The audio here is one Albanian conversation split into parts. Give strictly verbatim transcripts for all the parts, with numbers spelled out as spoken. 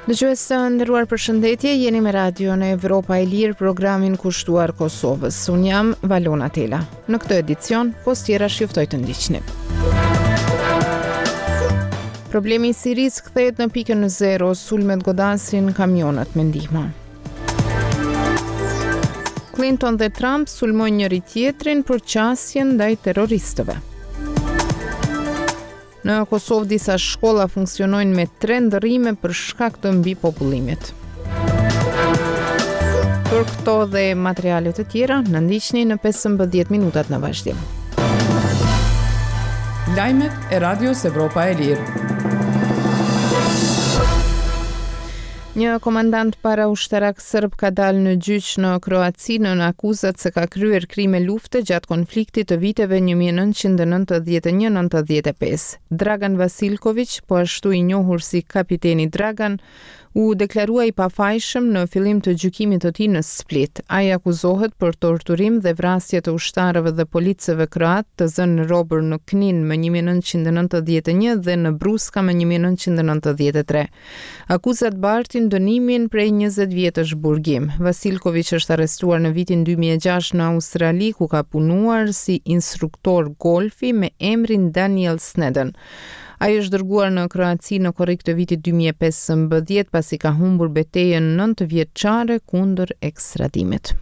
Dëgjues të nderuar, përshëndetje, jeni me Radion Evropa e Lirë, programin kushtuar Kosovës. Unë jam Valona Tela. Në këtë edicion, pos tjerash ju ftoj të ndiqni. Problemi i Sirisë kthehet në pikën zero, sulmet godasin kamionët me ndihma. Clinton dhe Trump sulmojnë njëri tjetrin për qasjen ndaj terroristëve. Në Kosovë disa shkolla funksionojnë me tre ndërrime për shkak të mbipopullimit. Për këto dhe materiale të tjera, na ndiqni në pesëmbëdhjetë minutat në vazhdim. Lajmet e Radios Evropa e Lirë. Një komandant paraushtarak serb ka dalë në gjyq në Kroaci nën akuzat se ka kryer krime lufte gjatë konfliktit të viteve një mijë e nëntëqind e nëntëdhjetë e një nëntëdhjetë e pesë. Dragan Vasilković, po ashtu i njohur si kapiteni Dragan, u deklarua i pafajshëm në fillim të gjykimit të tij në Split. Ai akuzohet për torturim dhe vrasje të ushtarëve dhe policëve kroat të zënë robër në Knin më një mijë e nëntëqind e nëntëdhjetë e një dhe në Bruska më një mijë e nëntëqind e nëntëdhjetë e tre. Akuzat bartin dënimin prej njëzet vjetësh burgim. Vasilković është arrestuar në vitin dy mijë e gjashtë në Australi, ku ka punuar si instruktor golfi me emrin Daniel Snedden. Ai është dërguar në Kroaci në korrik të vitit dy mijë e pesëmbëdhjetë pasi ka humbur betejën nëntë vjeçare kundër ekstradimit.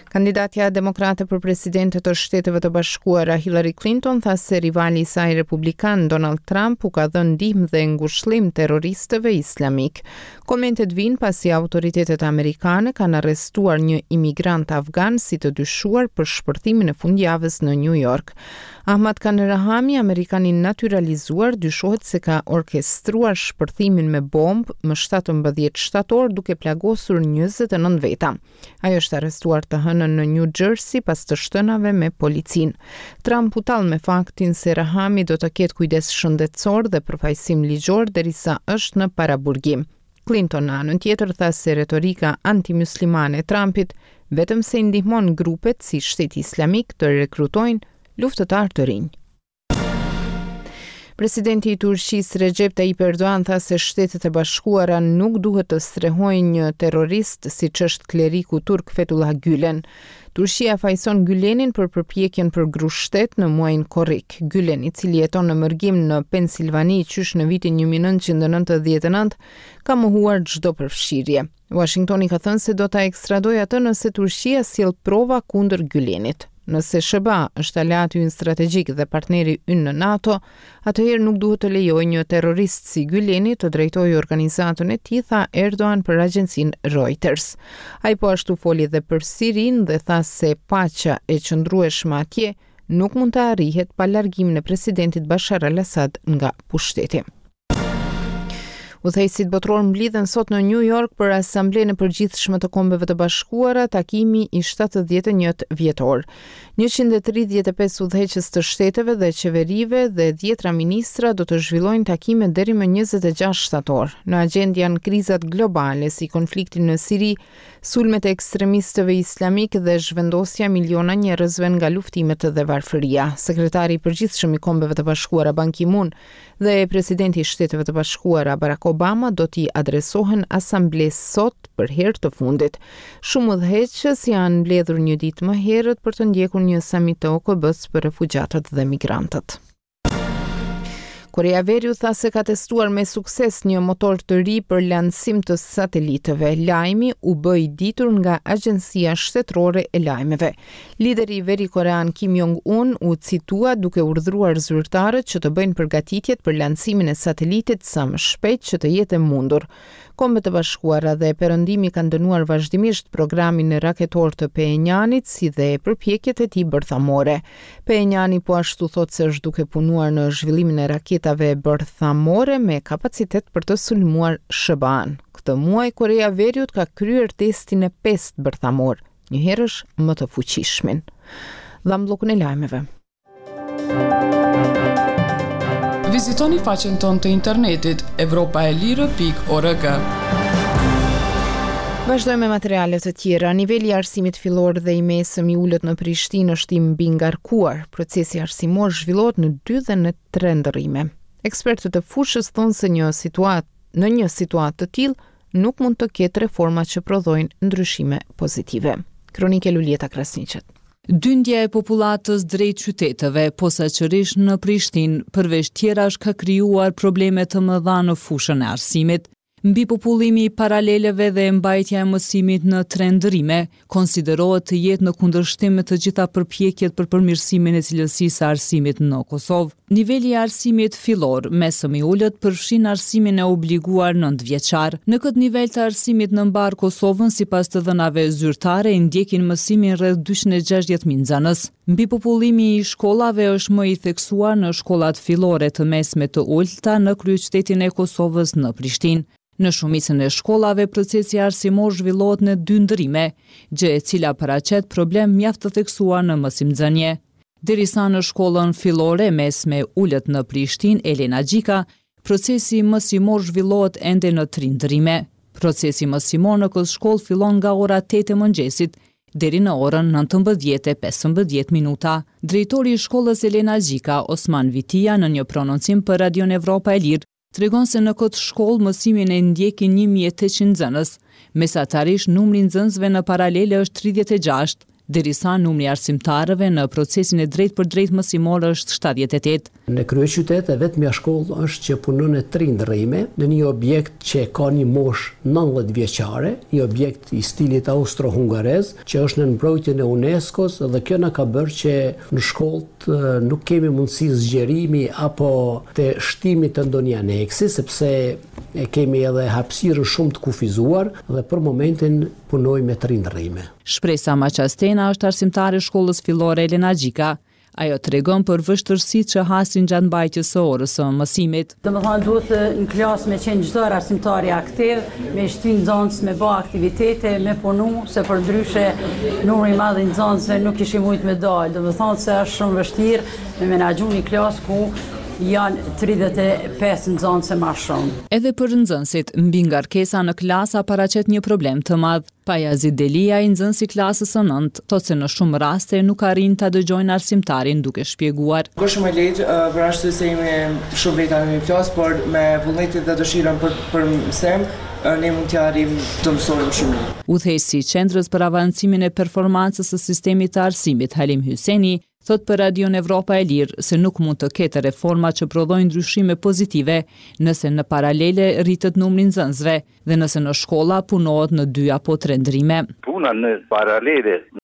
Kandidatja demokrate për presidente të Shteteve të Bashkuara Hillary Clinton tha se rivali i saj republikan Donald Trump u ka dhënë ndihmë dhe ngushëllim terroristëve islamik. Komentet vijnë pasi autoritetet amerikane kanë arrestuar një imigrant afgan si të dyshuar për shpërthimin e fundjavës në New York. Ahmad Khan Rahami, amerikan i naturalizuar, dyshohet se ka orkestruar shpërthimin me bombë më shtatëmbëdhjetë shtator duke plagosur njëzet e nëntë veta. Ai është arrestuar të hënën në New Jersey pas të shtënave me policinë. Trump u tall me faktin se Rahami do të ketë kujdes shëndetësor dhe përfaqësim ligjor derisa është në paraburgim. Clinton në anën tjetër tha se retorika antimuslimane e Trumpit vetëm se i ndihmon grupet si Shteti Islamik të rekrutojnë luftëtar të rinj. Presidenti i Turqisë Recep Tayyip Erdogan tha se Shtetet e Bashkuara nuk duhet të strehojnë një terrorist siç është kleriku turk Fethullah Gülen. Turqia fajson Gülenin për përpjekjen për grushtet në muajin korrik. Gülen, i cili jeton në mërgim në Pensilvani qysh në vitin një mijë e nëntëqind e nëntëdhjetë e nëntë, ka mohuar çdo përfshirje. Washingtoni ka thënë se do ta ekstradojë atë nëse Turqia sjell prova kundër Gülenit. Nëse S B A është aleati ynë strategjik dhe partneri ynë në NATO, atëherë nuk duhet të lejojë një terrorist si Güleni të drejtojë organizatën e tij, tha Erdogan për agjencinë Reuters. Ai po ashtu foli edhe për Sirinë dhe tha se paqja e qëndrueshme atje nuk mund të arrihet pa largimin e presidentit Bashar al-Assad nga pushteti. Udhëheqësit botror mblidhen sot në New York për Asamblenë e Përgjithshme të Kombeve të Bashkuara, takimi i shtatëdhjetë e një vjetor. njëqind e tridhjetë e pesë udhëheqës të shteteve dhe qeverive dhe dhjetra ministra do të zhvillojnë takime deri më njëzet e gjashtë shtator. Në agjendë janë krizat globale si konflikti në Siri, sulmet e ekstremistëve islamik dhe zhvendosja miliona njerëzve nga luftimet dhe varfëria. Sekretari i Përgjithshëm i Kombeve të Bashkuara Ban Ki-moon dhe presidenti i Shteteve të Bashkuara Barack Obama do t'i adresohen asamblesë sot për herë të fundit. Shumë udhëheqës janë mbledhur një ditë më herët për të ndjekur një samit të O K B-s për refugjatët dhe migrantët. Korea e Veriut tha se ka testuar me sukses një motor të ri për lansim të satelitëve. Lajmi u bë i ditur nga Agjencia Shtetërore e Lajmeve. Lideri i veri korean Kim Jong-un u citua duke urdhëruar zyrtarët që të bëjnë përgatitjet për lansimin e satelitit sa më shpejt që të jetë e mundur. Kombet e Bashkuara dhe Perëndimi kanë dënuar vazhdimisht programin raketor të Phenjanit si dhe përpjekjet e tij bërthamore. Phenjani po ashtu thotë se është duke punuar në zhvillimin e raketave bërthamore me kapacitet për të sulmuar S B A-n. Këtë muaj Korea e Veriut ka kryer testin e pestë bërthamor, njëherësh më të fuqishmin. Dham bllokun e lajmeve. Vizitoni faqen tonë të internetit evropa e lirë pikë org. Vazhdojmë me materiale të tjera. Niveli i arsimit fillor dhe i mesëm i ulët në Prishtinë është i mbingarkuar. Procesi arsimor zhvillohet në dy dhe në tre ndërrime. Ekspertët e fushës thonë se një situatë Në një situatë të tillë, nuk mund të ketë reforma që prodhojnë ndryshime pozitive. Kronikë Luljeta Krasniqit. Dyndja e popullatës drejt qyteteve, posaçërisht në Prishtinë, përveç tjerash, ka krijuar probleme të mëdha në fushën e arsimit. Mbipopullimi i paraleleve dhe mbajtja e mësimit në tre ndërrime konsiderohet të jetë në kundërshtim me të gjitha përpjekjet për përmirësimin e cilësisë së arsimit në Kosovë. Niveli i arsimit fillor, mesëm i ulët, përfshin arsimin e obliguar nëntë vjeçar. Në këtë nivel të arsimit në mbarë Kosovën, sipas të dhënave zyrtare, ndjekin mësimin rreth dyqind e gjashtëdhjetë mijë nxënës. Mbipopullimi i shkollave është më i theksuar në shkollat fillore të mesme të ulëta në kryeqytetin e Kosovës, në Prishtinë. Në shumicën e shkollave, procesi arsimor zhvillohet në dy ndërrime, gjë e cila paraqet problem mjaft të theksuar në mësimnxënie. Derisa në shkollën fillore mesme ulët në Prishtinë, Elena Gjika, procesi mësimor zhvillohet ende në tri ndërrime. Procesi mësimor në këtë shkollë fillon nga ora tetë e mëngjesit deri në orën nëntëmbëdhjetë e pesëmbëdhjetë minuta. Drejtori i shkollës Elena Gjika, Osman Vitia, në një prononcim për Radion Evropa e Lirë, tregon se në këtë shkollë mësimin e ndjekin një mijë e tetëqind nxënës. Mesatarisht numri i nxënësve në paralele është tridhjetë e gjashtë, derisa numri i arsimtarëve në procesin e drejt për drejt mësimor është shtatëdhjetë e tetë. Në kryeqytet e vetmja shkollë është që punon në tri ndërrime, në një objekt që ka një moshë nëntëdhjetë vjeçare, një objekt i stilit austro-hungarez, që është në mbrojtjen e UNESCO-s, dhe kjo na ka bërë që në shkollë nuk kemi mundësi zgjerimi apo të shtimit të ndonjë aneksi, sepse e kemi edhe hapësirën shumë të kufizuar dhe për momentin punojmë me tri ndërrime. Shpresa Maqastena është arsimtare e shkollës fillore Elena Gjika. Ajo tregon për vështirësitë që hasin gjatë mbajtjes së orës së mësimit. Do më thonë, duhet në klasë me qenë çdo herë arsimtari aktiv, me shty nxënës, me ba aktivitete, me punu, se për ndryshe numri i madh i nxënësve nuk kishim mujt me dalë. Do më thonë se është shumë vështirë me menaxhu një klasë ku janë tridhjetë e pesë nxënëse ma shumë. Edhe për nxënësit, mbingarkesa në klasa paraqet një problem të madh. Pajazit Delia, i nxënës i klasës së nëntë, thotë se në shumë raste nuk arrin ta dëgjojnë arsimtarin duke shpjeguar. Është shumë e lehtë, për arsye se jemi shumë veta në një klasë, por me vullnetin dhe dëshirën për, për mësim, ne mund t'ja arrim të mësojmë shumë mirë. Udhëheqësi i Qendrës për Avancimin e Performancës së Sistemit të Arsimit, Halim Hyseni, thot për Radion Evropa e Lirë se nuk mund të ketë reforma që prodhojnë ndryshime pozitive nëse në paralele rritet numri i nxënësve dhe nëse në shkolla punohet në dy apo tre ndërrime. Puna në paralele